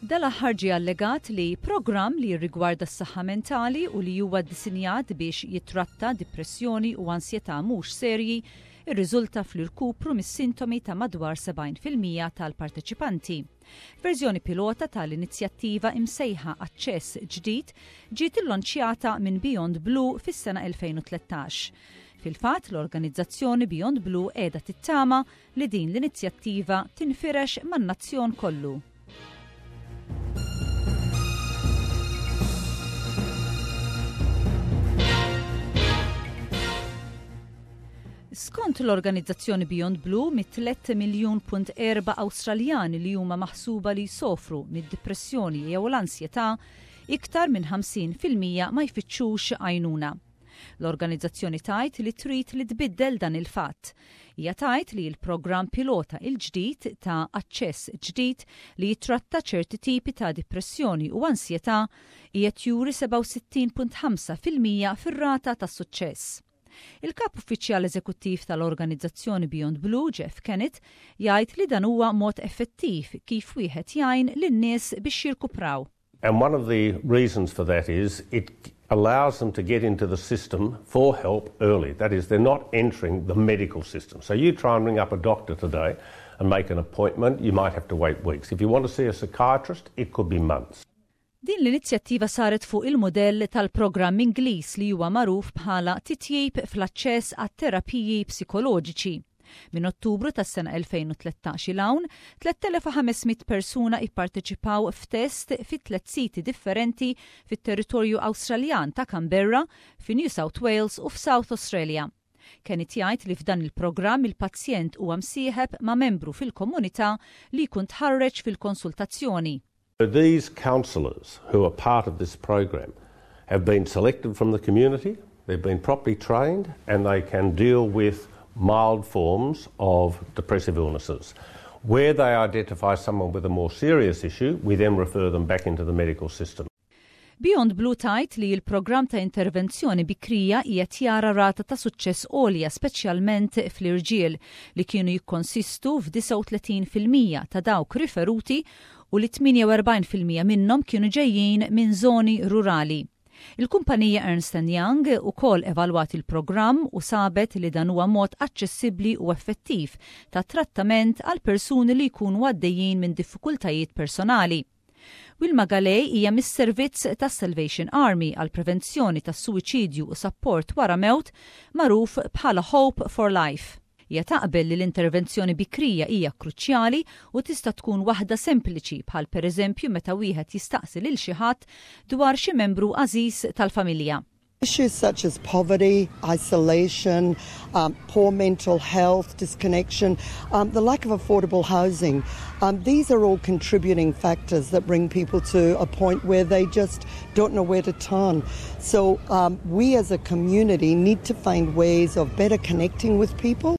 Dal-aħħar ġie allegat li programm li jirrigwarda s-saħħa mentali u li huwa ddisinjat biex jittratta dipressjoni u ansjetà mhux serji rriżulta fl-irkupru mis-sintomi ta' madwar 70% tal-parteċipanti. Verżjoni pilota tal-inizjattiva imsejħa Aċċess Ġdid ġiet illonċjata minn Beyond Blue fis-sena 2013. Fil-fatt, l-organizzazzjoni Beyond Blue qiegħda tittama li din l-inizjattiva tinfirex man-nazzjon kollu. Skont l-organizzazzjoni Beyond Blue, mit-3 miljun punt erba' Awstraljani li huma maħsuba li jsofru mid-dipressjoni jew l-ansjetà, iktar minn 50% ma jfittxux għajnuna. L-organizzazzjoni tgħid li trid li tbiddel dan il-fatt. Hija tgħid li l-programm pilota il-ġdid ta' Aċċess Ġdid li jittratta ċerti tipi ta' dipressjoni u ansjetà qiegħed juri 67.5% fir-rata ta' suċċess. Il-Kap Uffiċjal Eżekuttiv tal-organizzazzjoni Beyond Blue, Jeff Kennett, jgħid li dan huwa mod effettiv kif wieħed jgħin lin-nies biex jirkupraw. And one of the reasons for that is it allows them to get into the system for help early. That is, they're not entering the medical system. So you try and ring up a doctor today and make an appointment, you might have to wait weeks. If you want to see a psychiatrist, it could be months. Din l-inizjattiva saret fuq il-mudell tal-programm Ingliż li huwa magħruf bħala Titjib fl-Aċċess għat-Terapiji Psikoloġiċi. Minn Ottubru tas-sena 2013 'il hawn, 3,500 persuna ipparteċipaw f'test fi tliet siti differenti fit-territorju Awstraljan ta' Canberra, fi New South Wales u f'South Australia. Kenneth jgħid li f'dan il-programm il-pazjent huwa msieħeb ma' membru fil-komunità li jkun tħarreġ fil-konsultazzjoni. These counsellors who are part of this program have been selected from the community, they've been properly trained and they can deal with mild forms of depressive illnesses. Where they identify someone with a more serious issue, we then refer them back into the medical system. Beyond Blue tgħid li l-programm ta' intervenzjoni bikrija qiegħed jara rata ta' suċċess għolja speċjalment fl-irġiel li kienu jikkonsistu f'39% ta' dawk riferuti u li 48% minnhom kienu ġejjin minn żoni rurali. Il-kumpanija Ernst and Young ukoll evalwat il-programm u sabet li dan huwa mod aċċessibbli u effettiv ta' trattament għal persuni li jkunu għaddejjin minn diffikultajiet personali. Wilma Galej hija mis-servizz tas-Salvation Army għal prevenzjoni tas-suwiċidju u sapport wara mewt magħruf bħala Hope for Life. Hija taqbel li l-intervenzjoni bikrija hija kruċjali u tista' tkun waħda sempliċi bħal pereżempju meta wieħed jistaqsi lil xi ħadd dwar xi membru għażiż tal-familja. Issues such as poverty, isolation, poor mental health, disconnection, the lack of affordable housing, these are all contributing factors that bring people to a point where they just don't know where to turn. So we as a community need to find ways of better connecting with people.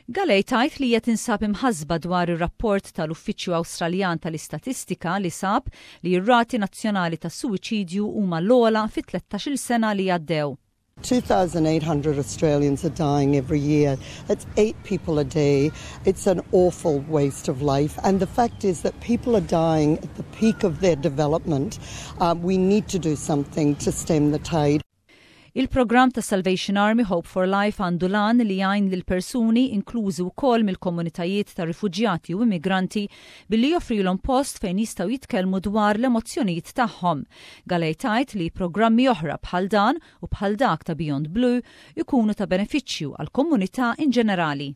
Galej tgħid li hija tinsab imħassba dwar ir-rapport tal-Uffiċċju Awstraljan tal-Istatistika li sab li r-rati nazzjonali tas-suwiċidju huma l-ogħla fit-13-il sena li għaddew. 2,800 Australians are dying every year. That's eight people a day. It's an awful waste of life. And the fact is that people are dying at the peak of their development. We need to do something to stem the tide. Il-programm ta' Salvation Army Hope for Life għandu l-għan li jgħin lil persuni inklużi wkoll mill-komunitajiet ta' rifuġjati u immigranti billi joffrilhom post fejn jistgħu jitkellmu dwar l-emozzjonijiet tagħhom. Galej tgħid li programmi oħra bħal dan u bħal dak ta' Beyond Blue ikunu ta' benefiċċju għall-komunità in ġenerali.